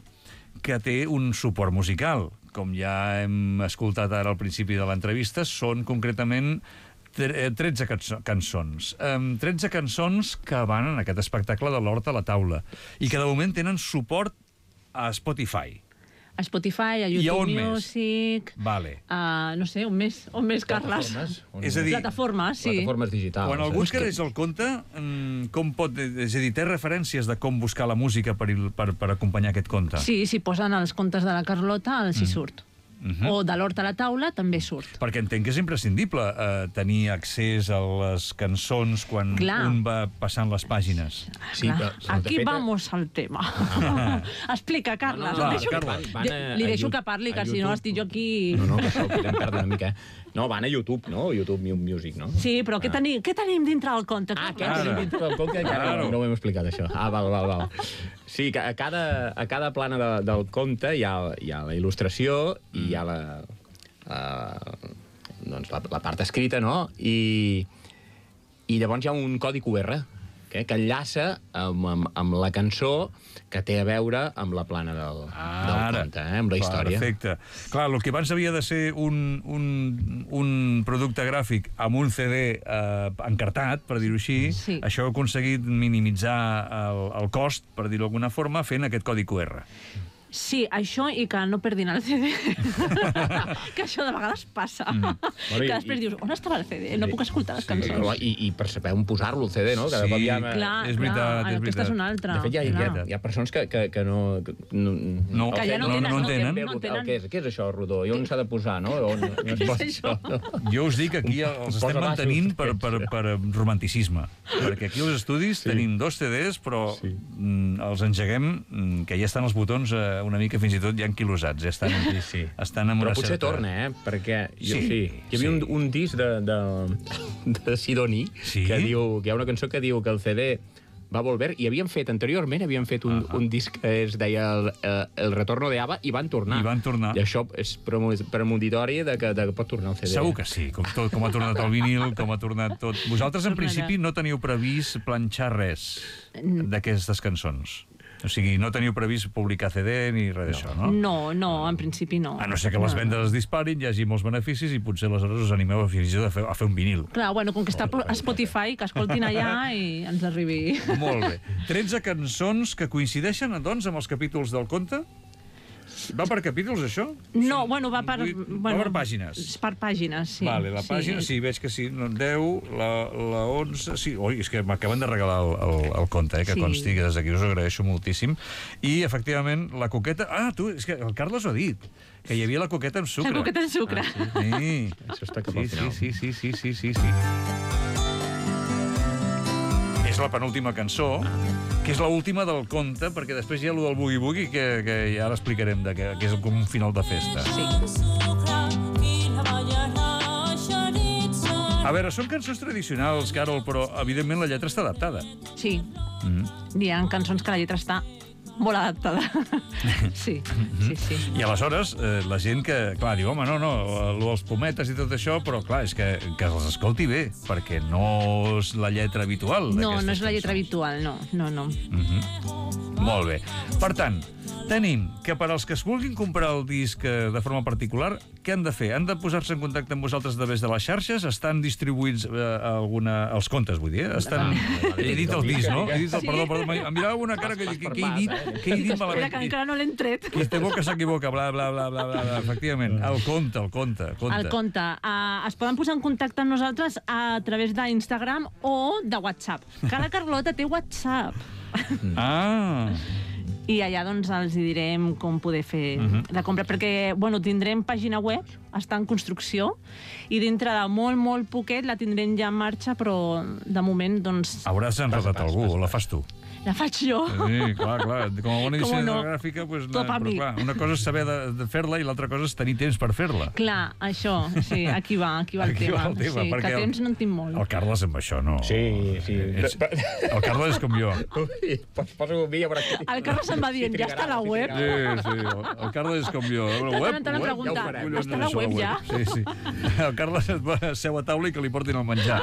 Speaker 1: que té un suport musical. Com ja hem escoltat ara al principi de l'entrevista, són concretament 13 cançons. 13 cançons que van en aquest espectacle de l'Hort a la taula i que de moment tenen suport a Spotify.
Speaker 4: A Spotify, a
Speaker 1: I a on
Speaker 4: YouTube Music...
Speaker 1: Vale.
Speaker 4: No sé, on més, Carles?
Speaker 1: És a dir,
Speaker 4: plataformes, sí.
Speaker 3: Plataformes digitals.
Speaker 1: Quan algú escriveix el conte, com pot... És a dir, té referències de com buscar la música per acompanyar aquest conte?
Speaker 4: Sí, si posen els contes de la Carlota, els hi surt. O de l'Hort a la taula també surt.
Speaker 1: Perquè entenc que és imprescindible tenir accés a les cançons quan un va passant les pàgines.
Speaker 3: Sí,
Speaker 4: aquí vamos al tema. Explica, Carles. Li deixo que parli, que si no estic jo aquí...
Speaker 3: No, que això ho podem perdre una mica. No, van a YouTube, no? YouTube Music, no?
Speaker 4: Sí, però què tenim dintre del conte?
Speaker 3: Què tenim dintre del conte? No ho hem explicat, això. Val. Sí, que a cada plana del conte hi ha la il·lustració i hi ha la part escrita, no? I llavors hi ha un codi QR que enllaça amb la cançó que té a veure amb la plana del conte, amb la història.
Speaker 1: Perfecte. Clar, el que abans havia de ser un producte gràfic amb un CD encartat, per dir-ho així, això ha aconseguit minimitzar el cost, per dir-ho d'alguna forma, fent aquest codi QR.
Speaker 4: Sí, això i que no perdin el CD. Que això de vegades passa. Que després dius, on estava el CD? No puc escoltar les cançons.
Speaker 3: I per saber on posar-lo, el CD, no?
Speaker 1: Sí, és veritat.
Speaker 4: Aquesta és una altra.
Speaker 3: De fet, hi ha persones que no...
Speaker 4: Que ja no tenen.
Speaker 3: Què és això, rodó? I on s'ha de posar, no?
Speaker 1: Jo us dic que aquí els estem mantenint per romanticisme. Perquè aquí als estudis tenim 2 CDs, però els engeguem, que ja estan els botons una mica fins i tot ja enquilosats. Ja estan en una certa...
Speaker 3: Però potser torna, perquè hi havia un disc de Sidoní que hi ha una cançó que diu que el CD va volver, i anteriorment havien fet un disc que es deia El retorno de ABBA, i van tornar. I això és premonitori que pot tornar el CD.
Speaker 1: Segur que sí, com ha tornat el vinil, com ha tornat tot. Vosaltres, en principi, no teniu previst planxar res d'aquestes cançons? O sigui, no teniu previst publicar CD ni res d'això, no?
Speaker 4: No, en principi no.
Speaker 1: A no ser que les vendes es disparin, hi hagi molts beneficis i potser aleshores us animeu a fer un vinil.
Speaker 4: Clar, bueno, com que està a Spotify, que escoltin allà i ens arribi.
Speaker 1: Molt bé. 13 cançons que coincideixen, doncs, amb els capítols del conte? Va per capítols, això?
Speaker 4: No, bueno, va per...
Speaker 1: Va per pàgines.
Speaker 4: Per pàgines, sí.
Speaker 1: Vale, la pàgina, sí, veig que sí, 10, la 11... Sí, oi, és que m'acaben de regalar el conte, que consti, que des d'aquí us agraeixo moltíssim. I, efectivament, la coqueta... Ah, tu, és que el Carles ho ha dit, que hi havia la coqueta amb sucre.
Speaker 4: La coqueta amb sucre.
Speaker 1: Sí.
Speaker 3: Això està cap al final.
Speaker 1: Sí. És la penúltima cançó, que és l'última del conte, perquè després hi ha allò del boogie-boogie, que ja l'explicarem, que és com un final de festa.
Speaker 4: Sí.
Speaker 1: A veure, són cançons tradicionals, Carol, però, evidentment, la lletra està adaptada.
Speaker 4: Sí. Hi ha cançons que la lletra està molt adaptada. Sí.
Speaker 1: I aleshores, la gent que, clar, diu, home, no, els pometes i tot això, però, clar, és que els escolti bé, perquè no és la lletra habitual.
Speaker 4: No és la lletra habitual, no.
Speaker 1: Molt bé. Per tant, tenim que per als que es vulguin comprar el disc de forma particular, què han de fer? Han de posar-se en contacte amb vosaltres a través de les xarxes? Estan distribuïts els contes, vull dir? He dit el disc, no? Perdó, em mirava una cara que he dit malament.
Speaker 4: Espera, que encara no l'hem tret.
Speaker 1: Qui es té boca s'equivoca, bla, bla, bla, bla, bla, efectivament. El conte.
Speaker 4: El conte. Es poden posar en contacte amb nosaltres a través d'Instagram o de WhatsApp. Que la Carlota té WhatsApp.
Speaker 1: Ah!
Speaker 4: I allà doncs els direm com poder fer la compra, perquè tindrem pàgina web, està en construcció, i dintre de molt, molt poquet la tindrem ja en marxa, però de moment doncs...
Speaker 1: Hauràs enredat algú, o la fas tu?
Speaker 4: La faig jo.
Speaker 1: Sí, clar. Com a bona dissenyadora gràfica, però clar, una cosa és saber de fer-la i l'altra cosa és tenir temps per fer-la.
Speaker 4: Clar, això, sí, aquí va el tema. Sí, que temps no en tinc molt.
Speaker 1: El Carles amb això no...
Speaker 3: Sí.
Speaker 1: El Carles és com jo.
Speaker 3: Poso un vídeo per aquí.
Speaker 4: El Carles em va dient, ja està a la web?
Speaker 1: Sí, el Carles és com jo.
Speaker 4: Ja està a la web, ja?
Speaker 1: Sí. El Carles seu a taula i que li portin el menjar.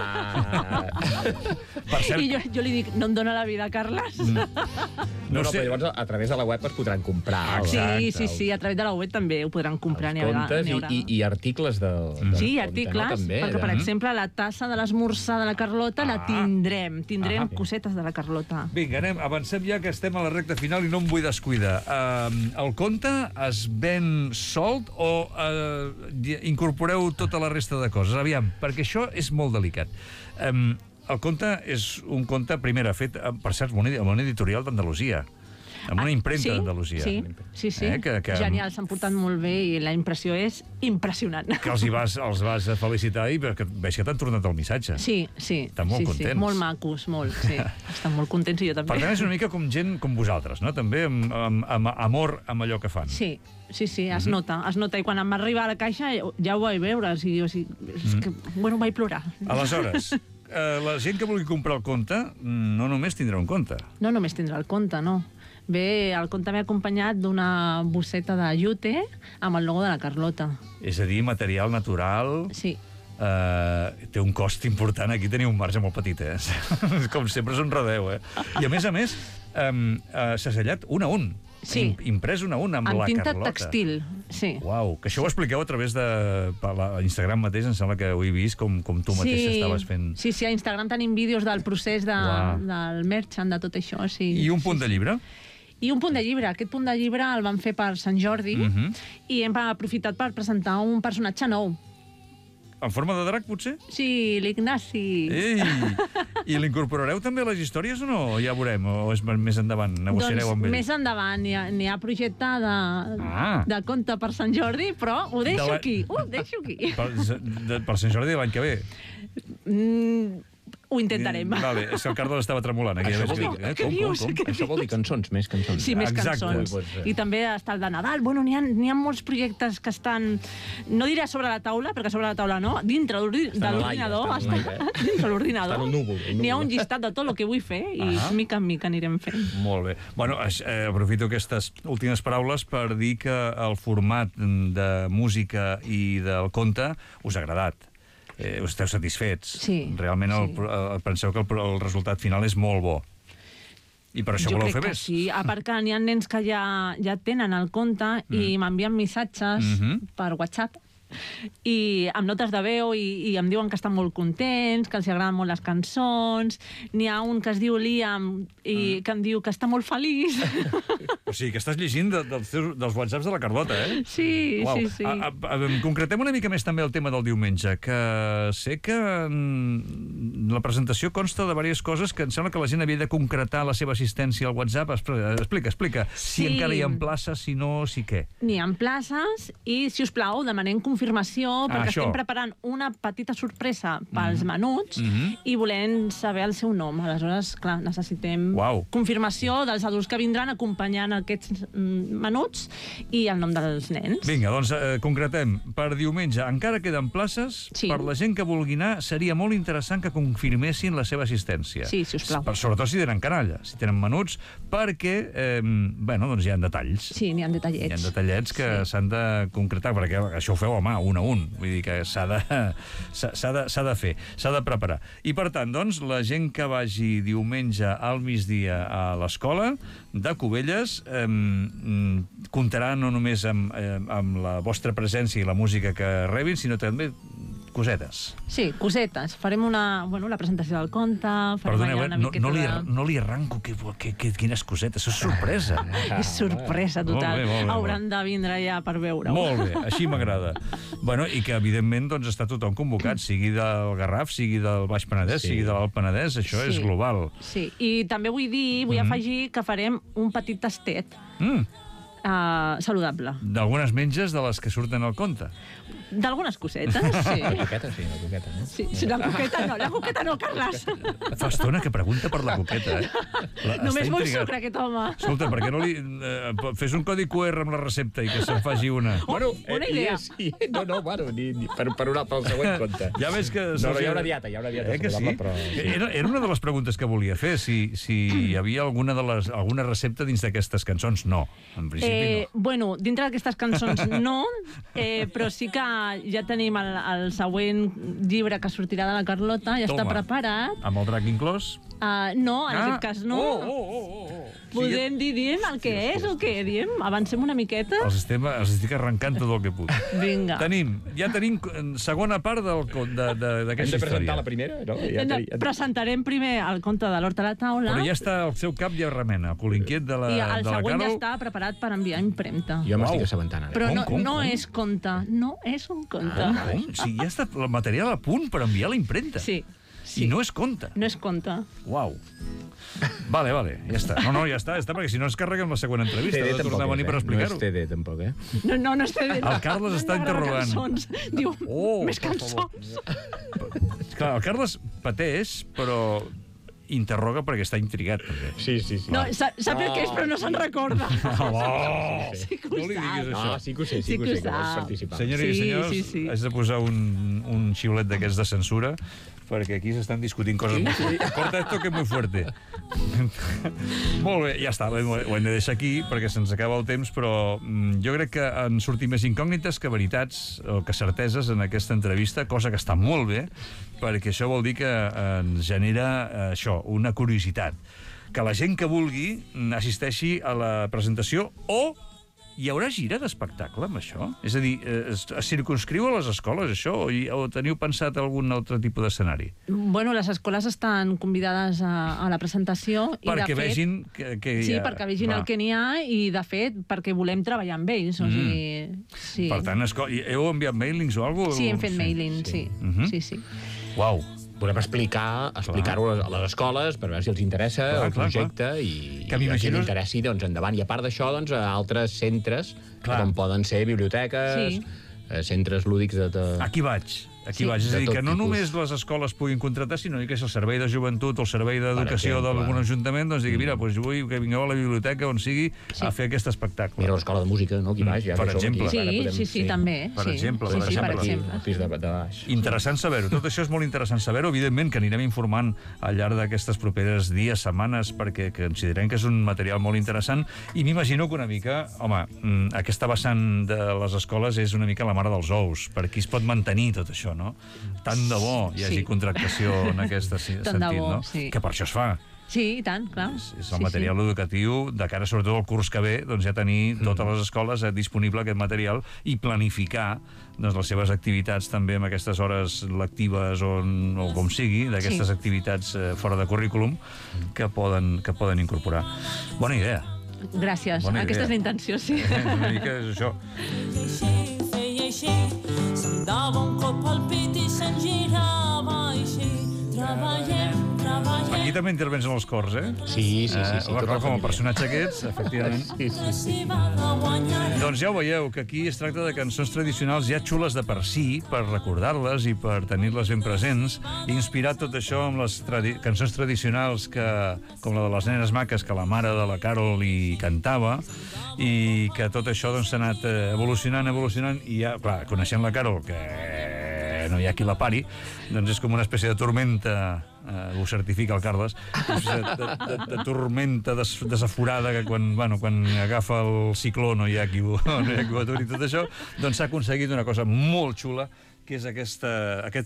Speaker 4: I jo li dic, no em dóna la vida, Carles.
Speaker 3: No, però llavors a través de la web es podran comprar.
Speaker 4: Sí, a través de la web també ho podran comprar.
Speaker 3: Els contes i articles del
Speaker 4: Sí, articles, perquè, per exemple, la tassa de l'esmorzar de la Carlota la tindrem cosetes de la Carlota.
Speaker 1: Vinga, avancem ja, que estem a la recta final i no em vull descuidar. El conte es ven solt o incorporeu tota la resta de coses? Aviam, perquè això és molt delicat. El conte és un conte, primera, fet, per cert, amb una editorial d'Andalusia, amb una impremta d'Andalusia.
Speaker 4: Sí. Genial, s'han portat molt bé i la impressió és impressionant.
Speaker 1: Que els vas felicitar i veig que t'han tornat el missatge.
Speaker 4: Sí.
Speaker 1: Estan molt contents.
Speaker 4: Molt macos, molt, sí. Estan molt contents i jo també.
Speaker 1: Per tant, és una mica com gent com vosaltres, no? També amb amor amb allò que fan.
Speaker 4: Sí, es nota. I quan em va arribar a la caixa ja ho vaig veure. És que, vaig plorar.
Speaker 1: Aleshores, la gent que vulgui comprar el conte no només tindrà un conte.
Speaker 4: No només tindrà el conte, no. Bé, el conte m'ha acompanyat d'una bosseta de llute amb el logo de la Carlota.
Speaker 1: És a dir, material natural...
Speaker 4: Sí.
Speaker 1: Té un cost important. Aquí teniu un marge molt petit, Com sempre us enredeu, I a més, s'ha sellat un a un.
Speaker 4: Sí.
Speaker 1: Imprès un a un amb la Carlota.
Speaker 4: Amb tinta textil, sí.
Speaker 1: Uau, que això ho expliqueu a través de Instagram mateix, em sembla que ho he vist, com tu mateix estaves fent...
Speaker 4: Sí, a Instagram tenim vídeos del procés del merchant, de tot això, sí.
Speaker 1: I un punt de llibre?
Speaker 4: I un punt de llibre. Aquest punt de llibre el vam fer per Sant Jordi i hem aprofitat per presentar un personatge nou.
Speaker 1: En forma de drac, potser?
Speaker 4: Sí, l'Ignasi.
Speaker 1: Ei! I l'incorporareu també a les històries o no? Ja veurem, o és més endavant? Negociareu amb ell?
Speaker 4: Més endavant. N'hi ha projecte de conte per Sant Jordi, però ho deixo aquí.
Speaker 1: Per Sant Jordi de l'any que ve?
Speaker 4: Ho intentarem.
Speaker 1: Vale, és que el Carles estava tremolant.
Speaker 3: Això vol dir cançons, més cançons.
Speaker 4: Sí, més cançons. I també està el de Nadal. Bueno, n'hi ha molts projectes que estan, no diré sobre la taula, perquè sobre la taula no, dintre de l'ordinador. Dintre l'ordinador. N'hi ha un llistat de tot el que vull fer i mica en mica anirem fent.
Speaker 1: Molt bé. Bueno, aprofito aquestes últimes paraules per dir que el format de música i del conte us ha agradat. Esteu satisfets.
Speaker 4: Sí.
Speaker 1: Realment penseu que el resultat final és molt bo. I per això voleu fer més.
Speaker 4: Sí, a part que n'hi ha nens que ja tenen el compte i m'envien missatges per WhatsApp i amb notes de veu i em diuen que estan molt contents, que els agraden molt les cançons. N'hi ha un que es diu Liam i que em diu que està molt feliç.
Speaker 1: O sigui, que estàs llegint dels whatsapps de la Carlota, eh?
Speaker 4: Sí, sí.
Speaker 1: Concretem una mica més també el tema del diumenge, que sé que la presentació consta de diverses coses que em sembla que la gent havia de concretar la seva assistència al WhatsApp. Explica. Si encara hi ha places, si no, si què?
Speaker 4: N'hi ha places i, si us plau, demanem confirmació, perquè estem preparant una petita sorpresa pels menuts i volem saber el seu nom. Aleshores, clar, necessitem confirmació dels adults que vindran acompanyant aquests menuts i el nom dels nens.
Speaker 1: Vinga, doncs concretem. Per diumenge encara queden places. Per la gent que vulgui anar, seria molt interessant que confirmessin la seva assistència.
Speaker 4: Sí, si us plau.
Speaker 1: Sobretot si tenen canalla, si tenen menuts, perquè, bueno, doncs hi ha detalls.
Speaker 4: Sí, n'hi ha detallets.
Speaker 1: Hi ha detallets que s'han de concretar, perquè això ho feu a mà, un a un. Vull dir que s'ha de fer, s'ha de preparar. I, per tant, doncs, la gent que vagi diumenge al migdia a l'escola de Cubelles comptarà no només amb la vostra presència i la música que rebin, sinó també cosetes.
Speaker 4: Sí, cosetes. Farem la presentació del conte, farem allà una miqueta de...
Speaker 1: No li arranco quines cosetes, això és sorpresa.
Speaker 4: És sorpresa total. Hauran de vindre ja per veure-ho.
Speaker 1: Molt bé, així m'agrada. Bueno, i que, evidentment, doncs, està tothom convocat, sigui del Garraf, sigui del Baix Penedès, sigui de l'Alt Penedès, això és global.
Speaker 4: Sí, i també vull afegir que farem un petit tastet saludable.
Speaker 1: D'algunes menges de les que surten al conte.
Speaker 4: D'algunes cosetes, sí.
Speaker 3: La coqueta, sí, la coqueta, no?
Speaker 4: Sí, la coqueta no, Carles.
Speaker 1: Fa estona que pregunta per la coqueta, eh?
Speaker 4: Només vol sucre, aquest home.
Speaker 1: Escolta, per què no li... fes un codi QR amb la recepta i que se'n faci una.
Speaker 4: Bona idea.
Speaker 3: Sí. No, bueno, pel següent compte.
Speaker 1: Ja ves que...
Speaker 3: No, hi haurà dieta saludable, però...
Speaker 1: Era una de les preguntes que volia fer, si hi havia alguna recepta dins d'aquestes cançons. No, en principi no.
Speaker 4: Bueno, dintre d'aquestes cançons no, però sí que ja tenim el següent llibre que sortirà de la Carlota, ja està preparat.
Speaker 1: Amb el drac inclòs?
Speaker 4: No, en aquest cas no. Podem dir, diem el que és o què? Diem? Avancem una miqueta?
Speaker 1: Els estic arrencant tot el que puc.
Speaker 4: Vinga.
Speaker 1: Ja tenim segona part d'aquesta història.
Speaker 3: Hem de presentar la primera, no?
Speaker 4: Presentarem primer el conte de l'Hort a la taula.
Speaker 1: Però ja està al seu cap, ja remena. El colinquiet de la Carol...
Speaker 4: I el següent ja està preparat per enviar impremta.
Speaker 3: Jo m'estic assabentant ara.
Speaker 4: Però no és conte, no és un conte.
Speaker 1: Com? Sí, ja està el material a punt per enviar la impremta.
Speaker 4: Sí.
Speaker 1: I no és conte.
Speaker 4: No és conte.
Speaker 1: Uau. Vale, ja està. No, ja està, perquè si no ens carreguem la següent entrevista.
Speaker 3: CD
Speaker 1: de tornar a venir per explicar-ho.
Speaker 3: No és CD, tampoc, eh?
Speaker 4: No és CD.
Speaker 1: El Carles està interrogant.
Speaker 4: Diu, més cançons.
Speaker 1: Clar, el Carles pateix, però interroga perquè està intrigat.
Speaker 3: Sí.
Speaker 4: No, sap el que és, però no se'n recorda. Sí que ho sap.
Speaker 3: No, sí que ho sé, que vols participar.
Speaker 1: Senyores i senyors, haig de posar un xiulet d'aquests de censura, perquè aquí s'estan discutint coses molt fuertes. Corta esto que es muy fuerte. Molt bé, ja està, ho hem de deixar aquí perquè se'ns acaba el temps, però jo crec que han sortit més incògnites que veritats o que certeses en aquesta entrevista, cosa que està molt bé, perquè això vol dir que ens genera això, una curiositat. Que la gent que vulgui assisteixi a la presentació o hi haurà gira d'espectacle amb això? És a dir, es circunscriu a les escoles, això? O teniu pensat algun altre tipus d'escenari?
Speaker 4: Bueno, les escoles estan convidades a la presentació.
Speaker 1: Perquè vegin que hi ha...
Speaker 4: Sí, perquè vegin el que n'hi ha i, de fet, perquè volem treballar amb ells. O sigui, sí.
Speaker 1: Per tant, heu enviat mailings o alguna cosa?
Speaker 4: Sí, hem fet mailings, sí.
Speaker 1: Uau.
Speaker 3: Podem explicar-ho a les escoles per veure si els interessa el projecte i si els interessi, doncs endavant. I a part d'això, doncs, a altres centres, com poden ser biblioteques, centres lúdics de...
Speaker 1: Aquí vaig. És a dir, que no només les escoles puguin contractar, sinó que el servei de joventut o el servei d'educació d'algun ajuntament doncs digui, mira, vull que vingueu a la biblioteca on sigui a fer aquest espectacle.
Speaker 3: Mira l'escola de música, no? Aquí baix.
Speaker 1: Per exemple.
Speaker 4: Sí, també.
Speaker 1: Per exemple.
Speaker 3: El pis de baix.
Speaker 1: Interessant saber-ho. Tot això és molt interessant saber-ho. Evidentment que anirem informant al llarg d'aquestes properes dies, setmanes, perquè considerem que és un material molt interessant i m'imagino que una mica, home, aquesta vessant de les escoles és una mica la mare dels ous. Per aquí es pot mantenir tot això, no? Tant de bo hi hagi contractació en aquest sentit, no? Que per això es fa.
Speaker 4: Sí, i tant, clar.
Speaker 1: És el material educatiu de cara, sobretot al curs que ve, doncs ja tenir totes les escoles disponible aquest material i planificar les seves activitats també amb aquestes hores lectives o com sigui, d'aquestes activitats fora de currículum que poden incorporar. Bona idea.
Speaker 4: Gràcies. Aquesta és la intenció, sí.
Speaker 1: Una mica és això.
Speaker 5: Se'm dava un cop al pit i se'n girava així. Treballem.
Speaker 1: Aquí també intervens en els cors, eh?
Speaker 3: Sí.
Speaker 1: Com a personatge aquests, efectivament.
Speaker 3: Sí.
Speaker 1: Doncs ja ho veieu, que aquí es tracta de cançons tradicionals ja xules de per si, per recordar-les i per tenir-les ben presents, i inspirar tot això amb les cançons tradicionals com la de les nenes maques que la mare de la Carol hi cantava, i que tot això s'ha anat evolucionant, i ja, clar, coneixent la Carol, que no hi ha qui la pari, doncs és com una espècie de tormenta, ho certifica el Carles, de tormenta desaforada que quan agafa el cicló no hi ha qui ho aturi, tot això, doncs s'ha aconseguit una cosa molt xula, que és aquest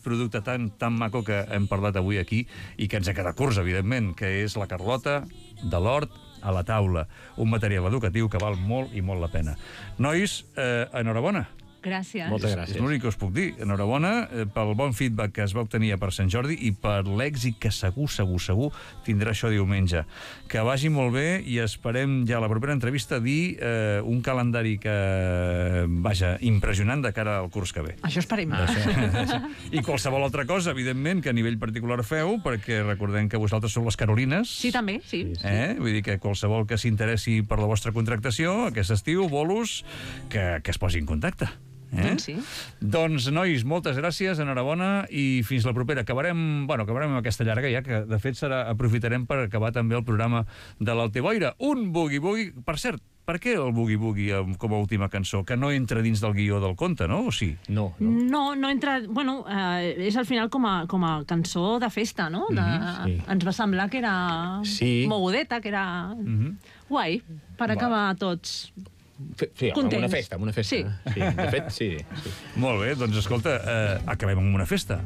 Speaker 1: producte tan maco que hem parlat avui aquí i que ens ha quedat curts, evidentment, que és la Carlota de l'Hort a la taula, un material educatiu que val molt i molt la pena. Nois, enhorabona.
Speaker 4: Gràcies.
Speaker 3: Moltes gràcies.
Speaker 1: És l'únic que us puc dir. Enhorabona pel bon feedback que es va obtenir per Sant Jordi i per l'èxit que segur tindrà això diumenge. Que vagi molt bé i esperem ja a la propera entrevista dir un calendari que, vaja, impressionant de cara al curs que ve.
Speaker 4: Això esperem.
Speaker 1: I qualsevol altra cosa, evidentment, que a nivell particular feu, perquè recordem que vosaltres sou les Carolines.
Speaker 4: Sí, també, sí.
Speaker 1: Vull dir que qualsevol que s'interessi per la vostra contractació, aquest estiu, bolos, que es posi en contacte.
Speaker 4: Doncs sí.
Speaker 1: Doncs, nois, moltes gràcies, enhorabona, i fins la propera. Acabarem amb aquesta llarga, ja que, de fet, aprofitarem per acabar també el programa de l'Alteboira. Un boogie-boogie, per cert, per què el boogie-boogie com a última cançó? Que no entra dins del guió del conte, no? O sí?
Speaker 3: No
Speaker 4: entra... Bueno, és al final com a cançó de festa, no? Ens va semblar que era mogudeta, que era guai, per acabar tots...
Speaker 3: Sí, amb una festa.
Speaker 4: Sí.
Speaker 3: De fet, sí.
Speaker 1: Molt bé, doncs escolta, acabem amb una festa.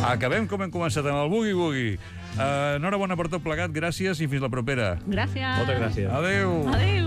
Speaker 1: Acabem com hem començat, amb el boogie-boogie. Enhorabona per tot plegat, gràcies i fins la propera.
Speaker 4: Gràcies.
Speaker 3: Moltes gràcies.
Speaker 1: Adéu.
Speaker 4: Adéu.